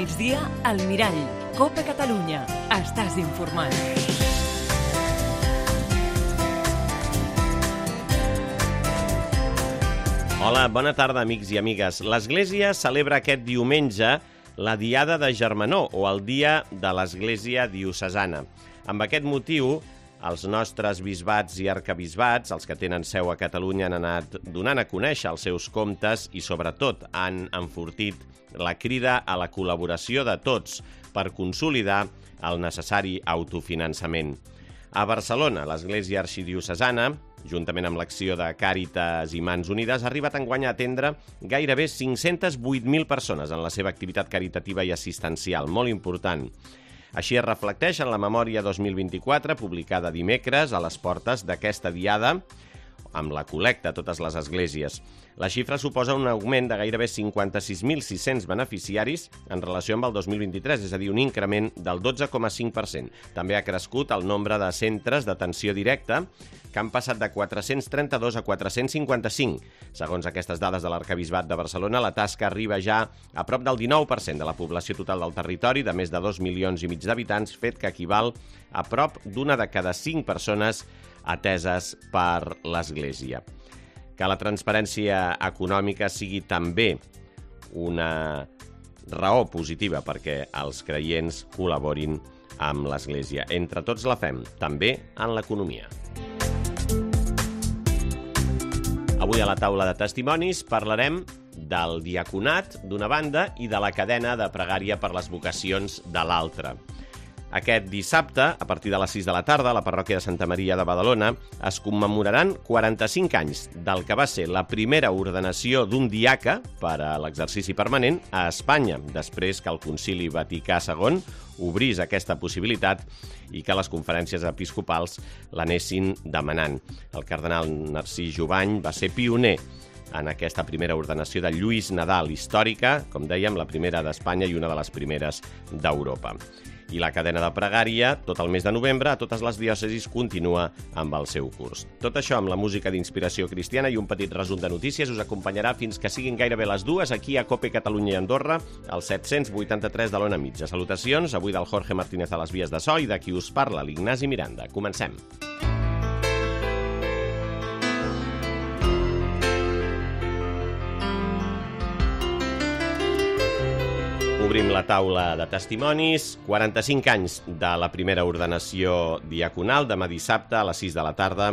migdia, al Mirall. Copa Catalunya. Estàs informat. Hola, bona tarda, amics i amigues. L'Església celebra aquest diumenge la Diada de Germanor, o el Dia de l'Església Diocesana. Amb aquest motiu, els nostres bisbats i arcabisbats, els que tenen seu a Catalunya, han anat donant a conèixer els seus comptes i, sobretot, han enfortit la crida a la col·laboració de tots per consolidar el necessari autofinançament. A Barcelona, l'Església Arxidiocesana, juntament amb l'acció de Càritas i Mans Unides, ha arribat enguany a atendre gairebé 508.000 persones en la seva activitat caritativa i assistencial, molt important. Així es reflecteix en la Memòria 2024, publicada dimecres a les portes d'aquesta diada, amb la col·lecta a totes les esglésies. La xifra suposa un augment de gairebé 56.600 beneficiaris en relació amb el 2023, és a dir, un increment del 12,5%. També ha crescut el nombre de centres d'atenció directa, que han passat de 432 a 455. Segons aquestes dades de l'Arcabisbat de Barcelona, la tasca arriba ja a prop del 19% de la població total del territori, de més de 2,5 milions d'habitants, fet que equival a prop d'una de cada 5 persones ateses per l'Església. Que la transparència econòmica sigui també una raó positiva perquè els creients col·laborin amb l'Església. Entre tots la fem, també en l'economia. Avui a la taula de testimonis parlarem del diaconat d'una banda i de la cadena de pregària per les vocacions de l'altra. Aquest dissabte, a partir de les 6 de la tarda, a la parròquia de Santa Maria de Badalona, es commemoraran 45 anys del que va ser la primera ordenació d'un diaca per a l'exercici permanent a Espanya, després que el Concili Vaticà II obrís aquesta possibilitat i que les conferències episcopals l'anessin demanant. El cardenal Narcís Jubany va ser pioner en aquesta primera ordenació de Lluís Nadal, històrica, com dèiem, la primera d'Espanya i una de les primeres d'Europa. I la cadena de pregària, tot el mes de novembre, a totes les diòcesis continua amb el seu curs. Tot això amb la música d'inspiració cristiana i un petit resum de notícies us acompanyarà fins que siguin gairebé les 2 aquí a Cope Catalunya i Andorra, al 783 de l'Ona Mitja. Salutacions, avui del Jorge Martínez a les vies de so i de qui us parla, l'Ignasi Miranda. Comencem. Obrim la taula de testimonis, 45 anys de la primera ordenació diaconal, demà dissabte a les 6 de la tarda,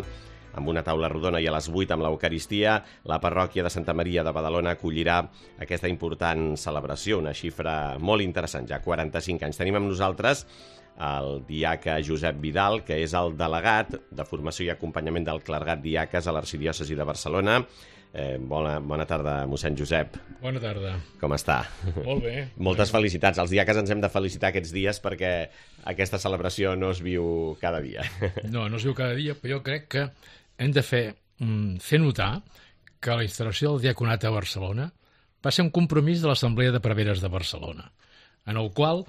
amb una taula rodona i a les 8 amb l'Eucaristia, la parròquia de Santa Maria de Badalona acollirà aquesta important celebració, una xifra molt interessant, ja 45 anys. Tenim amb nosaltres el diaca Josep Vidal, que és el delegat de formació i acompanyament del clergat diaques a l'Arxidiòcesi de Barcelona. Bona tarda, mossèn Josep. Bona tarda. Com està? Molt bé. Moltes felicitats. Els diaques ens hem de felicitar aquests dies perquè aquesta celebració no es viu cada dia. No es viu cada dia, però jo crec que hem de fer notar que la instal·lació del diaconat a Barcelona va ser un compromís de l'Assemblea de Preveres de Barcelona, en el qual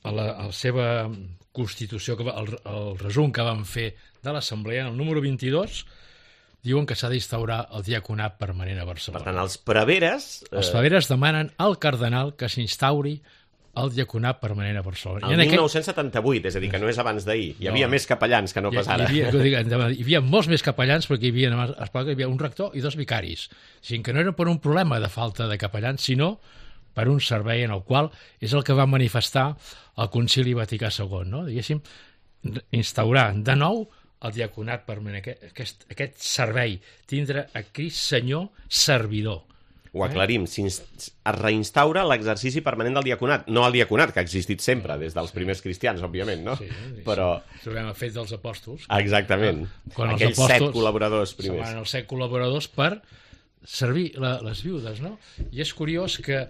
la seva constitució, el resum que van fer de l'Assemblea, en el número 22, diuen que s'ha d'instaurar el diaconat permanent a Barcelona. Per tant, els preveres... Els preveres demanen al cardenal que s'instauri el diaconat permanent a Barcelona. El 1978, és a dir, que no és abans d'ahir. Hi havia més capellans que no pas ara. Hi havia molts més capellans perquè hi havia un rector i 2 vicaris. O sigui, que no era per un problema de falta de capellans, sinó per un servei en el qual és el que va manifestar el Concili Vaticà II, no? Diguéssim, instaurar de nou el diaconat permanent, aquest servei, tindre a Crist Senyor servidor. Ho aclarim, es reinstaura l'exercici permanent del diaconat, no el diaconat, que ha existit sempre, des dels primers cristians, òbviament, no? Sí, però... Trobem el fet dels apòstols. Exactament, aquells 7 col·laboradors primers. Seran els 7 col·laboradors per servir les viudes, no? I és curiós que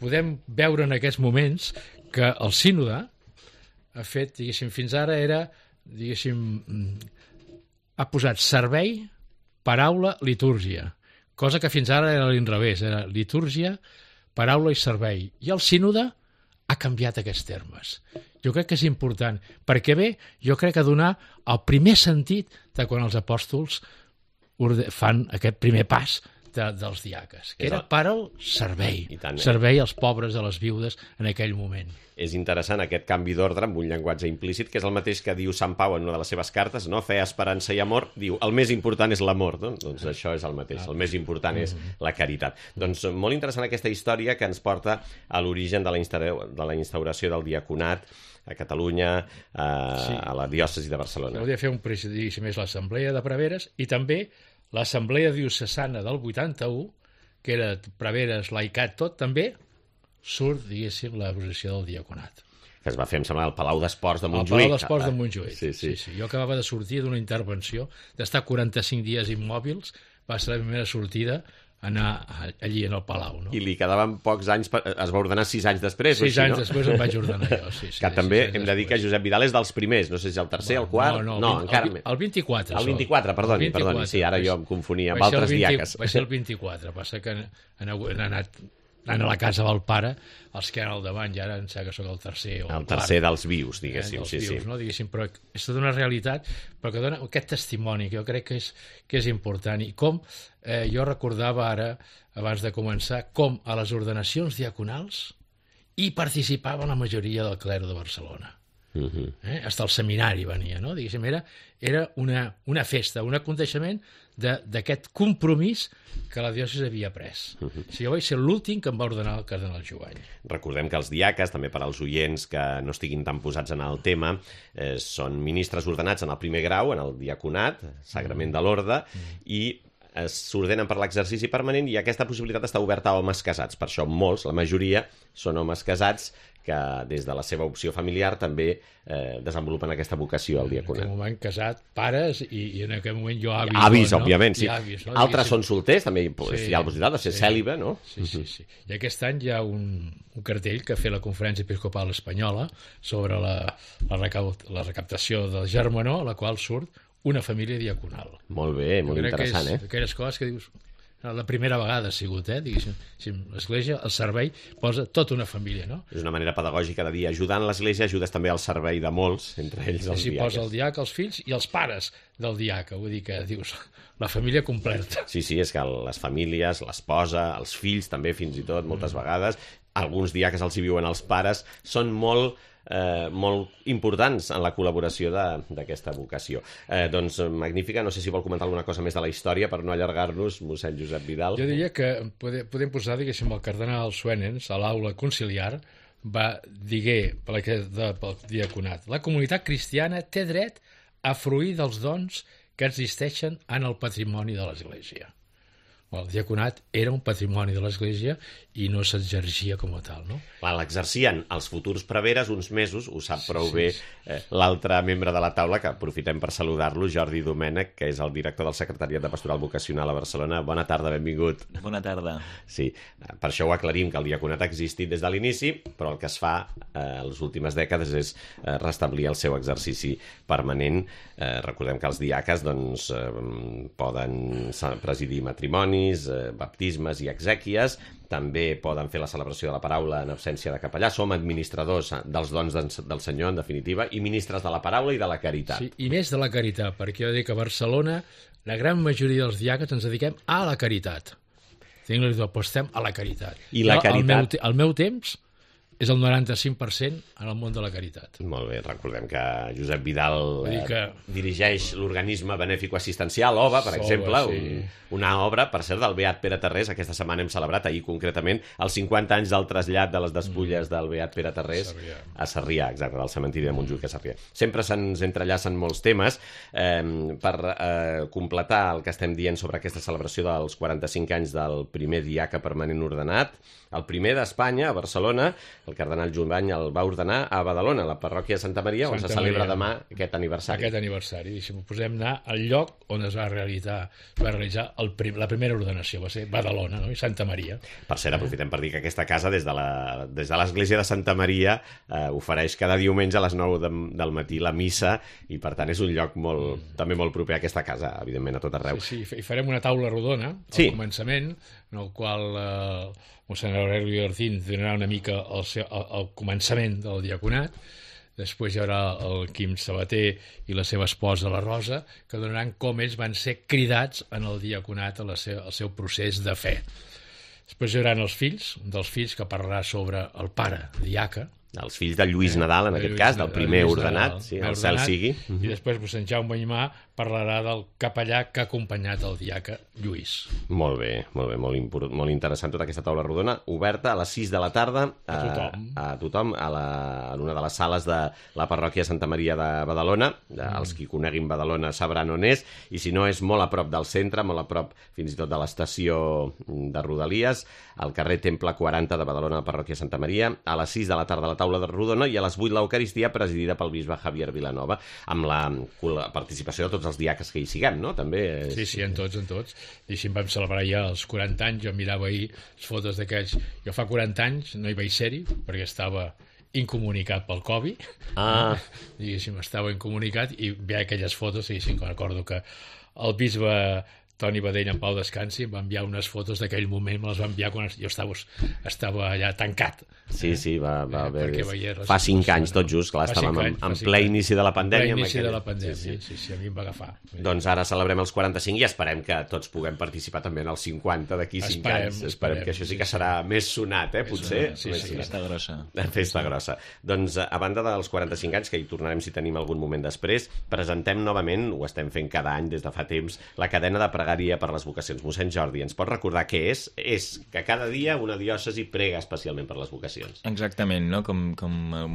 podem veure en aquests moments que el sínode ha fet, diguéssim, fins ara era... ha posat servei, paraula, litúrgia, cosa que fins ara era a l'inrevés, era litúrgia, paraula i servei. I el sínode ha canviat aquests termes. Jo crec que és important, perquè bé, jo crec que donar el primer sentit de quan els apòstols fan aquest primer pas dels diaques, que era per al servei, I tant, servei als pobres, a les viudes en aquell moment. És interessant aquest canvi d'ordre amb un llenguatge implícit, que és el mateix que diu Sant Pau en una de les seves cartes, no? Fe, esperança i amor. Diu, el més important és l'amor, no? Doncs això és el mateix, el més important és la caritat. Doncs molt interessant aquesta història que ens porta a l'origen de la instauració del diaconat a Catalunya, a la diòcesi de Barcelona. Hauria de fer un presidigi més l'Assemblea de Preveres i també l'Assemblea Diocesana del 81, que era Preveres, laicat, tot, també surt, diguéssim, la posició del diaconat. Que es va fer, em sembla, al Palau d'Esports de Montjuïc. Al Palau d'Esports de Montjuïc, sí. Jo acabava de sortir d'una intervenció, d'estar 45 dies immòbils, va ser la primera sortida anar allí en el Palau. No? I li quedaven pocs anys, es va ordenar 6 anys després. 6 anys després em vaig ordenar jo, sí. Que també hem de dir que Josep Vidal és dels primers, no sé si el tercer, el quart... No, encara més. El 24. El 24, perdoni, sí, ara jo em confonia amb altres diaques. Va ser el 24, passa que han anat a la casa del pare, els que han al davant, ja ara em sembla que sóc el tercer o el tercer dels vius, diguéssim. Dels vius, no? Diguéssim, però és tota una realitat, però que dona aquest testimoni, que jo crec que és important. I com, jo recordava ara, abans de començar, com a les ordenacions diaconals hi participava la majoria del clero de Barcelona. Hasta el seminari venia, no? Diguéssim, era una festa, un aconteixement d'aquest compromís que la diòcesi havia pres. Jo vaig ser l'últim que em va ordenar el cardenal Jovany. Recordem que els diaques, també per als oients que no estiguin tan posats en el tema, són ministres ordenats en el primer grau, en el diaconat, sagrament de l'orde, i s'ordenen per l'exercici permanent, i aquesta possibilitat està oberta a homes casats. Per això molts, la majoria, són homes casats que des de la seva opció familiar també desenvolupen aquesta vocació al diaconat. En aquell moment casat, pares, i en aquell moment jo avis. Avis, òbviament, sí. Avis, no? Altres són solters, també hi ha la possibilitat de ser cèlibe, no? Sí. I aquest any hi ha un cartell que ha fet la Conferència Episcopal Espanyola sobre la recaptació del Germanó, a la qual surt una família diaconal. Molt bé, molt interessant, eh? Aquelles coses que dius... La primera vegada ha sigut, diguéssim. L'Església, el servei, posa tota una família, no? És una manera pedagògica de dir, ajudant l'Església ajudes també al servei de molts, entre ells els diaques. Posa el diaca, els fills i els pares del diaca, vull dir que dius, la família completa. Sí, és que les famílies, l'esposa, els fills també fins i tot, moltes vegades, alguns diaques els hi viuen els pares, són molt importants en la col·laboració d'aquesta vocació. Doncs magnífica, no sé si vol comentar alguna cosa més de la història per no allargar-nos, mossèn Josep Vidal. Jo diria que podem posar, diguéssim, el cardenal Suenens a l'aula conciliar va dir pel diaconat: la comunitat cristiana té dret a fruir dels dons que existeixen en el patrimoni de l'Església. El diaconat era un patrimoni de l'Església i no s'exercia com a tal, no? L'exercien els futurs preveres uns mesos, ho sap prou bé l'altre membre de la taula, que aprofitem per saludar-lo, Jordi Domènech, que és el director del Secretariat de Pastoral Vocacional a Barcelona. Bona tarda, benvingut. Bona tarda. Sí, per això ho aclarim, que el diaconat ha existit des de l'inici, però el que es fa en les últimes dècades és restablir el seu exercici permanent. Recordem que els diaques poden presidir matrimonis, baptismes i exèquies, també poden fer la celebració de la paraula en absència de capellà, som administradors dels dons del Senyor, en definitiva, i ministres de la paraula i de la caritat. Sí, i més de la caritat, perquè jo dic que a Barcelona la gran majoria dels diaques ens dediquem a la caritat. Apostem a la caritat. I la caritat... El meu temps és el 95% en el món de la caritat. Molt bé, recordem que Josep Vidal dirigeix l'organisme benèfico-assistencial OVA, per exemple, una obra, per cert, del Beat Pere Tarrés. Aquesta setmana hem celebrat, ahir concretament, els 50 anys del trasllat de les despulles del Beat Pere Tarrés a Sarrià, exacte, del cementiri de Montjuïc a Sarrià. Sempre se'ns entrellacen molts temes. Per completar el que estem dient sobre aquesta celebració dels 45 anys del primer diaca permanent ordenat, el primer d'Espanya, a Barcelona, el cardenal Jovany el va ordenar a Badalona, a la parròquia de Santa Maria, on se celebra demà aquest aniversari. Aquest aniversari. Posem anar al lloc on es va realitzar la primera ordenació, va ser Badalona, no? I Santa Maria. Per cert, aprofitem per dir que aquesta casa, des de l'església de Santa Maria, ofereix cada diumenge a les 9 del matí la missa, i per tant és un lloc també molt proper a aquesta casa, evidentment a tot arreu. Sí, i farem una taula rodona al començament, en el qual mossèn Aureli Ortín donarà una mica el començament del diaconat, després hi haurà el Quim Sabater i la seva esposa, la Rosa, que donaran com ells van ser cridats en el diaconat al seu procés de fe. Després hi haurà els fills, un dels fills que parlarà sobre el pare, diaca, Els fills de Lluís Nadal, en aquest cas, del primer ordenat, sí, el cel sigui. I després mossèn Jaume Aimà parlarà del capellà que ha acompanyat el diaca Lluís. Molt bé, molt interessant tota aquesta taula rodona, oberta a les 6 de la tarda a tothom en una de les sales de la parròquia Santa Maria de Badalona. Els qui coneguin Badalona sabran on és, i si no és molt a prop del centre, molt a prop fins i tot de l'estació de Rodalies, al carrer Temple 40 de Badalona, la parròquia Santa Maria, a les 6 de la tarda la taula de rodona, i a les 8 l'Eucaristia, presidida pel bisbe Javier Vilanova, amb la participació de tots els diaques que hi siguem, no? També és... Sí, en tots. I si vam celebrar ja els 40 anys, jo mirava ahir les fotos d'aquells... Jo fa 40 anys no hi vaig ser-hi, perquè estava incomunicat pel Covid. Diguéssim, estava incomunicat, i veia aquelles fotos, diguéssim, que recordo que el bisbe Toni Badell, en pau descansi, em va enviar unes fotos d'aquell moment, me les va enviar quan jo estava allà tancat. Sí, va haver... Fa 5 anys, tot just, clar, estàvem en ple inici de la pandèmia. En ple inici de la pandèmia, sí, a mi em va agafar. Doncs ara celebrem els 45 i esperem que tots puguem participar també en els 50 d'aquí 5 anys. Esperem que això sí que serà més sonat, potser. Sí, festa grossa. Festa grossa. Doncs, a banda dels 45 anys, que hi tornarem si tenim algun moment després, presentem novament, ho estem fent cada any des de fa temps, la cadena de pregària per les vocacions. Mossèn Jordi, ens pot recordar què és? És que cada dia una diòcesi prega especialment per les vocacions. Exactament, no? Com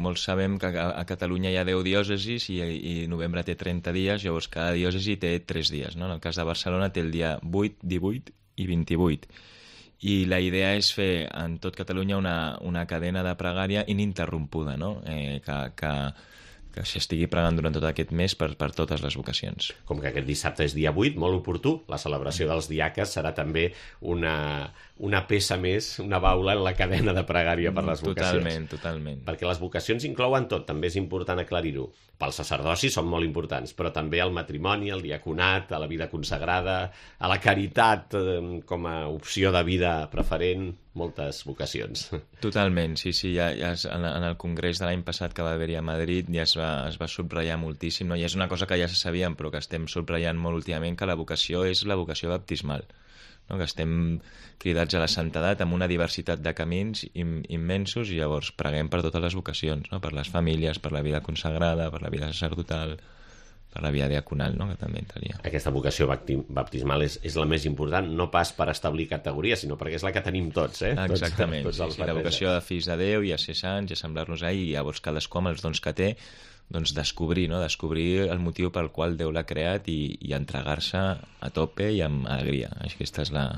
molts sabem que a Catalunya hi ha 10 diòcesis i novembre té 30 dies, llavors cada diòcesi té 3 dies, no? En el cas de Barcelona té el dia 8, 18 i 28. I la idea és fer en tot Catalunya una cadena de pregària ininterrompuda, no? Que s'estigui pregant durant tot aquest mes per totes les vocacions. Com que aquest dissabte és dia 8, molt oportú, la celebració dels diaques serà també una peça més, una baula en la cadena de pregària per les vocacions. Totalment. Perquè les vocacions inclouen tot, també és important aclarir-ho. Pel sacerdoci són molt importants, però també el matrimoni, el diaconat, a la vida consagrada, a la caritat com a opció de vida preferent, moltes vocacions. Totalment, sí, ja en el congrés de l'any passat que va haver-hi a Madrid ja es va subratllar moltíssim, no? I és una cosa que ja se sabíem, però que estem subratllant molt últimament, que la vocació és la vocació baptismal, no? Que estem cridats a la santedat amb una diversitat de camins immensos, i llavors preguem per totes les vocacions, no? Per les famílies, per la vida consagrada, per la vida sacerdotal, per la vida diaconal, no? Que també entraria. Aquesta vocació baptismal és la més important, no pas per establir categories, sinó perquè és la que tenim tots, Exactament, tots la vocació de fills de Déu, i a ser sants, i a semblar-nos a ell, i llavors cadascú amb els dons que té, doncs descobrir el motiu pel qual Déu l'ha creat i entregar-se a tope i amb alegria. Aquesta és la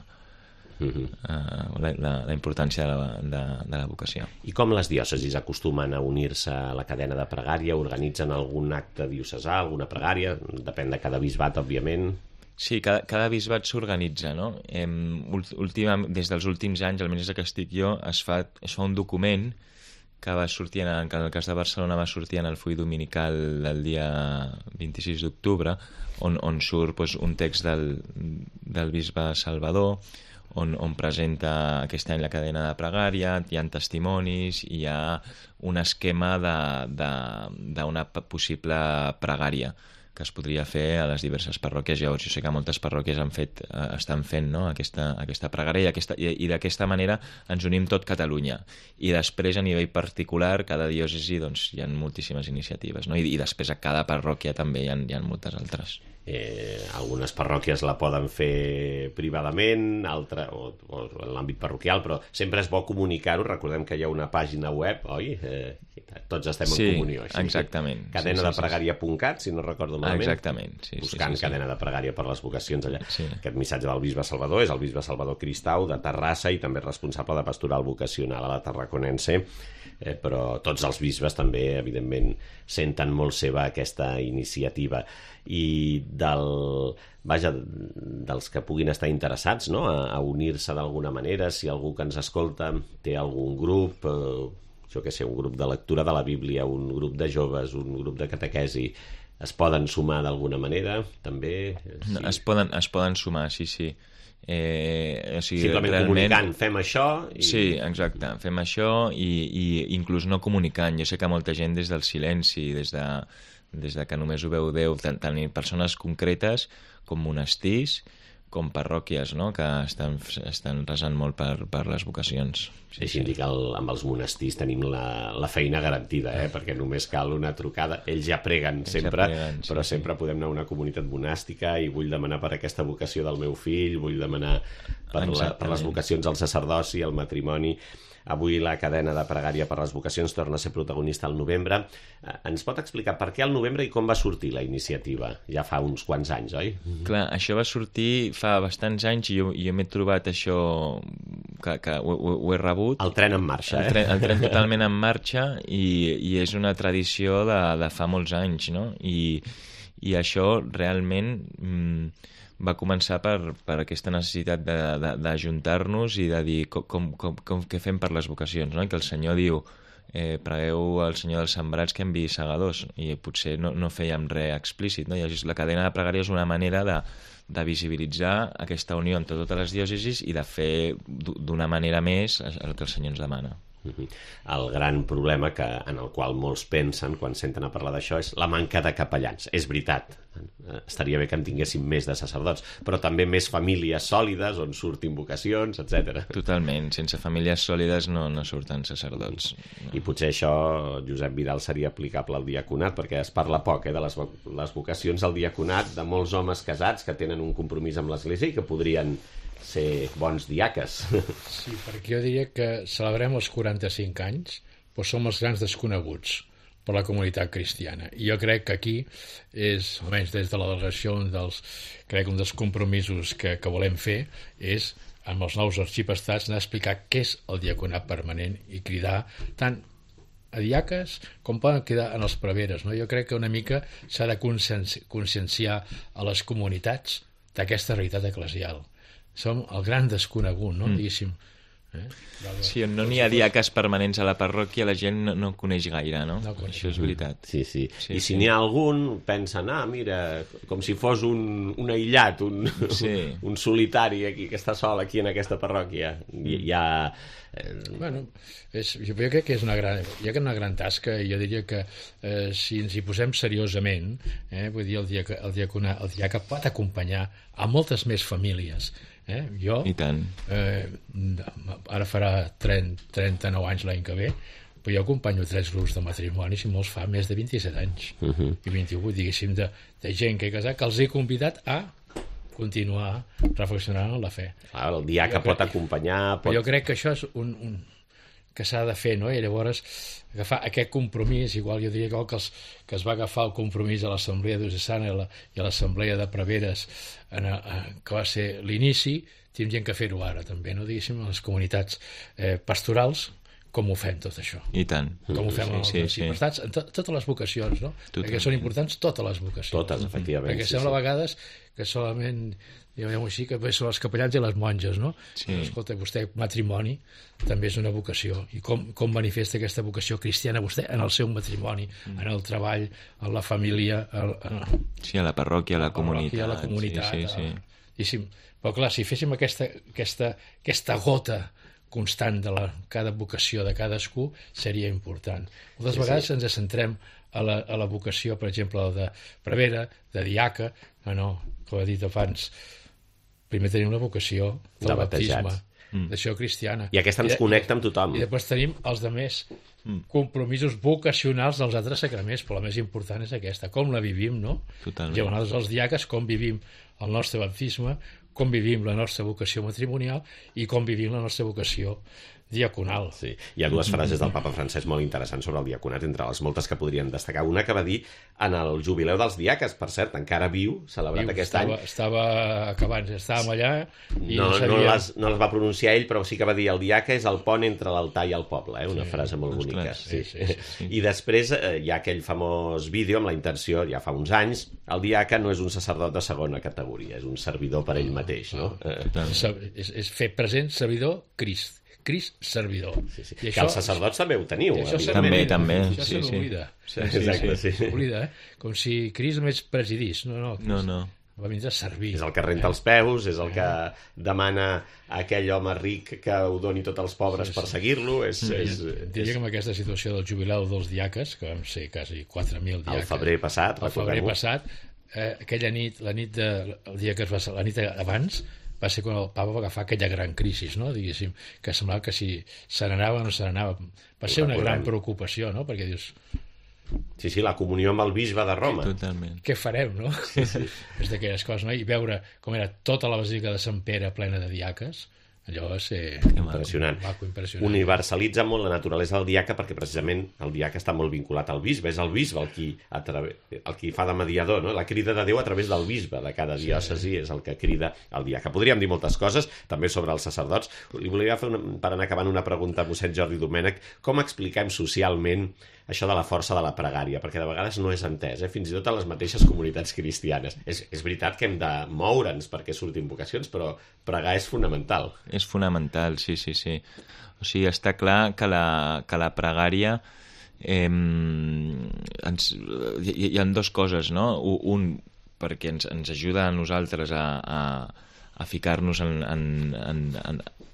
importància de la vocació. I com les diòcesis acostumen a unir-se a la cadena de pregària? Organitzen algun acte diocesà, alguna pregària? Depèn de cada bisbat, òbviament. Sí, cada bisbat s'organitza, no? Des dels últims anys, almenys des que estic jo, es fa un document que va sortir, en el cas de Barcelona va sortir en el full dominical el dia 26 d'octubre, on surt un text del bisbe Salvador, on presenta aquest any la cadena de pregària, hi ha testimonis, i hi ha un esquema d'una possible pregària que es podria fer a les diverses parròquies. Llavors, jo sé que moltes parròquies estan fent, no? aquesta pregària, i d'aquesta manera ens unim tot Catalunya. I després, a nivell particular, cada diòcesi hi ha moltíssimes iniciatives, no? I després a cada parròquia també hi ha moltes altres. Algunes parròquies la poden fer privadament, o en l'àmbit parroquial, però sempre és bo comunicar-ho. Recordem que hi ha una pàgina web, oi? Tots estem en comunió. Sí, exactament. Cadenadepregària.cat, si no recordo malament. Exactament. Buscant cadena de pregària per les vocacions allà. Sí. Aquest missatge del bisbe Salvador és el bisbe Salvador Cristau, de Terrassa, i també responsable de pastoral vocacional a la Tarraconense. Però tots els bisbes també, evidentment, senten molt seva aquesta iniciativa. I dels que puguin estar interessats, no?, a unir-se d'alguna manera, si algú que ens escolta té algun grup, jo què sé, un grup de lectura de la Bíblia, un grup de joves, un grup de catequesi, es poden sumar d'alguna manera, també? Sí. Es poden sumar, sí. Simplement comunicant, fem això... Sí, exacte, fem això i inclús no comunicant. Jo sé que molta gent des del silenci, des de que només ho veu Déu, tant persones concretes com monestirs, com parròquies, no?, que estan resant molt per les vocacions. Deixi'm dir que amb els monestirs tenim la feina garantida, perquè només cal una trucada. Ells ja preguen sempre, però sempre podem anar a una comunitat monàstica i vull demanar per aquesta vocació del meu fill, vull demanar per les vocacions al sacerdoci, al matrimoni. Avui la cadena de pregària per les vocacions torna a ser protagonista al novembre. Ens pot explicar per què al novembre i com va sortir la iniciativa? Ja fa uns quants anys, oi? Clar, això va sortir fa bastants anys i jo m'he trobat això que ho he rebut. El tren en marxa, El tren totalment en marxa i és una tradició de fa molts anys, no? I això realment va començar per aquesta necessitat d'ajuntar-nos i de dir què fem per les vocacions, no? I que el Senyor diu pregueu al Senyor dels sembrats que enviï segadors, i potser no fèiem res explícit, no? I la cadena de pregària és una manera de visibilitzar aquesta unió entre totes les diòcesis i de fer d'una manera més el que el Senyor ens demana. El gran problema en el qual molts pensen quan senten a parlar d'això és la manca de capellans. És veritat, estaria bé que en tinguéssim més de sacerdots, però també més famílies sòlides on surtin vocacions, etc. Totalment, sense famílies sòlides no surten sacerdots. I potser això, Josep Vidal, seria aplicable al diaconat, perquè es parla poc de les vocacions al diaconat, de molts homes casats que tenen un compromís amb l'Església i que podrien ser bons diaques. Sí, perquè jo diria que celebrem els 45 anys, però som els grans desconeguts per la comunitat cristiana. I jo crec que aquí és, almenys des de la delegació, un dels compromisos que volem fer és, amb els nous arxiprestats, anar a explicar què és el diaconat permanent i cridar tant a diaques com poden quedar en els preveres, no? Jo crec que una mica s'ha de conscienciar a les comunitats d'aquesta realitat eclesial. Som el gran desconegut, no? Diguéssim. Sí, on no n'hi ha diaques permanents a la parròquia, la gent no coneix gaire, no? Això és veritat. Sí. I si n'hi ha algun, pensen, mira, com si fos un aïllat, un solitari aquí, que està sol aquí en aquesta parròquia. Bueno, jo crec que és una gran tasca, i jo diria que si ens hi posem seriosament, vull dir, el diaca pot acompanyar a moltes més famílies. Jo, i tant. Ara farà 39 anys l'any que ve, però jo acompanyo 3 grups de matrimonis i molts fa més de 27 anys i 28, diguéssim, de gent que he casat, que els he convidat a continuar reflexionant en la fe. Clar, el diaca pot acompanyar... Jo crec que això és que s'ha de fer, no? I llavors agafar aquest compromís, igual jo diria que es va agafar el compromís a l'Assemblea Diocesana i a l'Assemblea de Preveres, que va ser l'inici, tindrien que fer-ho ara també, no? Diguéssim, a les comunitats pastorals, com ho fem tot això. I tant. Com ho fem amb els arxiprestats, en totes les vocacions, no? Perquè són importants totes les vocacions. Totes, efectivament. Perquè sembla a vegades que solament, diguem-ho així, que són els capellans i les monges, no? Sí. Escolta, vostè, matrimoni, també és una vocació. I com manifesta aquesta vocació cristiana vostè en el seu matrimoni, en el treball, en la família... Sí, a la parròquia, a la comunitat. A la comunitat. Sí. Però clar, si féssim aquesta gota constant de cada vocació de cadascú, seria important. Moltes vegades ens centrem a la vocació, per exemple, de prevera, de diaca, com he dit abans, primer tenim la vocació del baptisme, d'això cristiana. I aquesta ens connecta amb tothom. I després tenim els altres compromisos vocacionals dels altres sacraments, però la més important és aquesta, com la vivim, no? Totalment. I nosaltres els diaques, com vivim el nostre baptisme, com vivim la nostra vocació matrimonial i com vivim la nostra vocació diaconal. Sí. Hi ha 2 frases del papa Francesc molt interessants sobre el diaconat, entre les moltes que podríem destacar. Una que va dir en el jubileu dels diaques, per cert, encara viu, celebrat aquest any. Estava acabant, estàvem allà i no les va pronunciar ell, però sí que va dir el diaca és el pont entre l'altar i el poble, una frase molt bonica. Sí. I després hi ha aquell famós vídeo amb la intenció, ja fa uns anys, el diaca no és un sacerdot de segona categoria, és un servidor per ell mateix, no? És fer present servidor Crist servidor. Sí. Que els sacerdots també ho teniu. També. Això se n'oblida. Exacte, sí. S'oblida, com si Crist només presidís. No. va vindre a servir. És el que renta els peus, és el que demana a aquell home ric que ho doni tots els pobres per seguir-lo. Diria que amb aquesta situació del jubileu dels diaques, que vam ser quasi 4.000 diaques... El febrer passat, aquella nit, la nit abans, va ser quan el papa va agafar aquella gran crisi, no? Diguéssim, que semblava que si se n'anava o no se n'anava. Va ser una gran preocupació, no? Perquè dius... Sí, la comunió amb el bisbe de Roma. Totalment. Què farem, no? Sí. És d'aquelles coses, no? I veure com era tota la basílica de Sant Pere plena de diaques, allò va ser impressionant. Universalitza molt la naturalesa del diaca perquè precisament el diaca està molt vinculat al bisbe, és el bisbe el qui fa de mediador, no? La crida de Déu a través del bisbe de cada diòcesi és el que crida el diaca. Podríem dir moltes coses, també sobre els sacerdots. Li volia fer, per anar acabant, una pregunta a mossèn Jordi Domènech. Com expliquem socialment això de la força de la pregària? Perquè de vegades no és entès, fins i tot a les mateixes comunitats cristianes. És veritat que hem de moure'ns perquè surtin vocacions, però pregar és fonamental. És fonamental, sí. O sigui, està clar que la pregària... hi ha dues coses, no? Un, perquè ens ajuda a nosaltres a ficar-nos en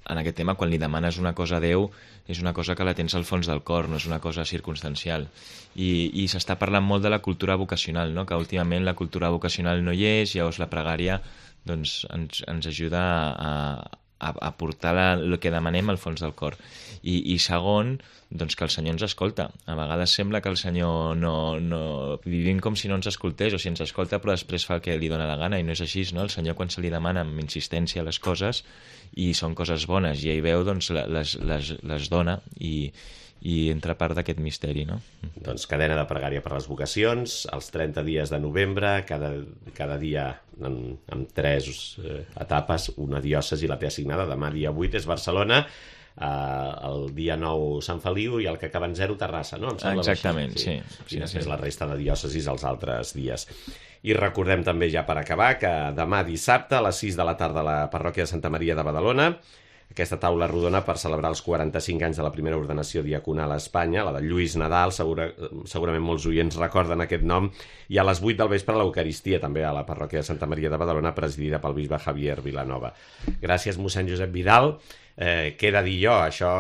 aquest tema. Quan li demanes una cosa a Déu, és una cosa que la tens al fons del cor, no és una cosa circumstancial. I s'està parlant molt de la cultura vocacional, no? Que últimament la cultura vocacional no hi és, llavors la pregària doncs, ens ajuda a portar el que demanem al fons del cor. I segon, doncs que el Senyor ens escolta. A vegades sembla que el Senyor no vivim com si no ens escoltés, o si ens escolta però després fa el que li dona la gana, i no és així, no? El Senyor, quan se li demana amb insistència les coses, i són coses bones, i ell veu, doncs les dona, i entra part d'aquest misteri, no? Doncs cadena de pregària per les vocacions, els 30 dies de novembre, cada dia amb 3 etapes, una diòcesi la té assignada. Demà dia 8 és Barcelona, el dia 9 Sant Feliu i el que acaba en 0 Terrassa, no? Exactament, sí. I després la resta de diòcesis els altres dies. I recordem també, ja per acabar, que demà dissabte a les 6 de la tarda a la parròquia de Santa Maria de Badalona, aquesta taula rodona per celebrar els 45 anys de la primera ordenació diaconal a Espanya, la de Lluís Nadal, segurament molts oients recorden aquest nom, i a les 8 del vespre l'Eucaristia, també a la parròquia de Santa Maria de Badalona, presidida pel bisbe Javier Vilanova. Gràcies, mossèn Josep Vidal. Queda dir jo, això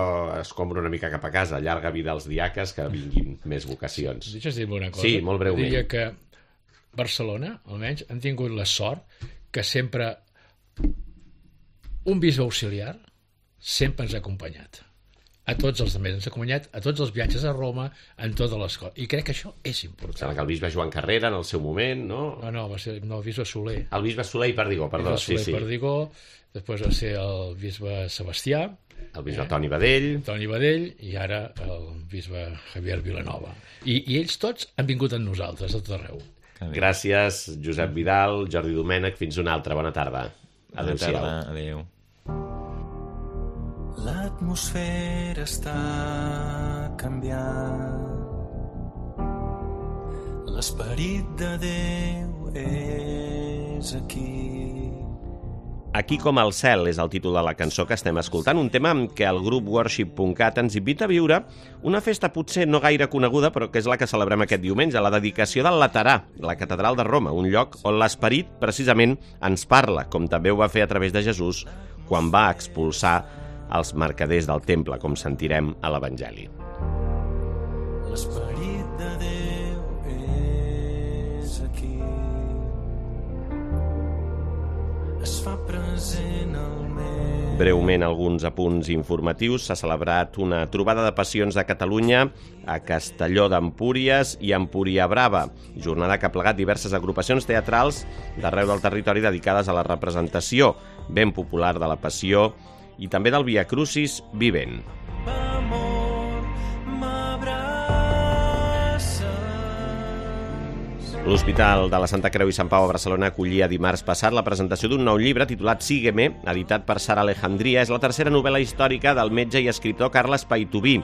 es compra una mica cap a casa, llarga vida als diaques, que vinguin més vocacions. Deixa'ns dir-me una cosa. Sí, molt breument. Diria que Barcelona, almenys, han tingut la sort que sempre un bisbe auxiliar sempre ens ha acompanyat. A tots els altres ens ha acompanyat, a tots els viatges a Roma, en totes les coses. I crec que això és important. Sembla que el bisbe Joan Carrera, en el seu moment, no? No, va ser el bisbe Soler. El bisbe Soler i Perdigó, perdó. El bisbe Soler i Perdigó, després va ser el bisbe Sebastià, el bisbe Toni Badell, i ara el bisbe Javier Vilanova. I ells tots han vingut amb nosaltres, a tot arreu. Gràcies, Josep Vidal, Jordi Domènech, fins una altra. Bona tarda. Adéu-siau. Adéu. L'atmosfera està canviant, l'esperit de Déu és aquí. Aquí com el cel és el títol de la cançó que estem escoltant, un tema amb què el grup Worship.cat ens invita a viure una festa potser no gaire coneguda, però que és la que celebrem aquest diumenge, la dedicació del Laterà, la catedral de Roma, un lloc on l'esperit precisament ens parla, com també ho va fer a través de Jesús quan va expulsar els mercaders del temple, com sentirem a l'Evangeli. L'esperit de Déu és aquí, es fa present al meu. Breument, alguns apunts informatius. S'ha celebrat una trobada de passions de Catalunya a Castelló d'Empúries i Empúria Brava, jornada que ha plegat diverses agrupacions teatrals d'arreu del territori dedicades a la representació ben popular de la Passió i també del Via Crucis vivent. L'Hospital de la Santa Creu i Sant Pau a Barcelona acollia dimarts passat la presentació d'un nou llibre titulat Sígueme, editat per Sara Alejandría. És la tercera novel·la històrica del metge i escriptor Carles Paitubí.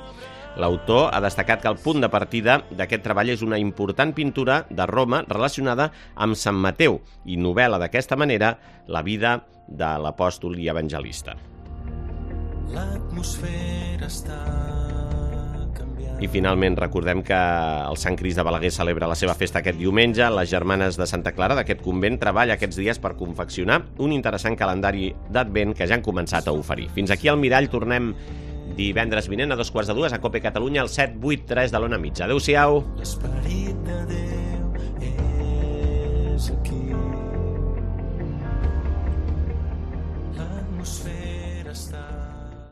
L'autor ha destacat que el punt de partida d'aquest treball és una important pintura de Roma relacionada amb Sant Mateu i novel·la d'aquesta manera la vida de l'apòstol i evangelista. L'atmosfera està I finalment recordem que el Sant Crist de Balaguer celebra la seva festa aquest diumenge. Les Germanes de Santa Clara d'aquest convent treballa aquests dies per confeccionar un interessant calendari d'Advent que ja han començat a oferir. Fins aquí al Mirall, tornem divendres vinent a 2:45 a COPE Catalunya, al 783 de l'Ona Mitja. Adéu-siau. L'esperit de Déu